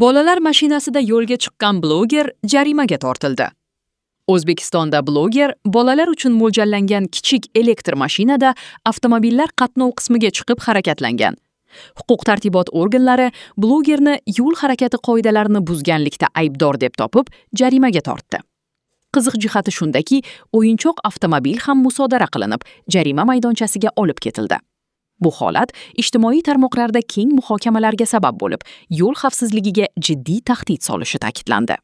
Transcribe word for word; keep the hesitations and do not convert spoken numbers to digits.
Bolalar mashinasida yo'lga chiqqan bloger jarimaga tortildi. O'zbekistonda bloger bolalar uchun mo'ljallangan kichik elektr mashinada avtomobillar qatnov qismiga chiqib harakatlangan. Huquq-tartibot organlari blogerni yo'l harakati qoidalarini buzganlikda aybdor deb topib, jarimaga tortdi. Qiziq jihati shundaki, o'yinchoq avtomobil ham musodara qilinib, jarima maydonchasiga olib ketildi. Bu holat ijtimoiy tarmoqlarda keng muhokamalarga sabab bo'lib, yo'l xavfsizligiga jiddiy tahdid solishi ta'kidlandi.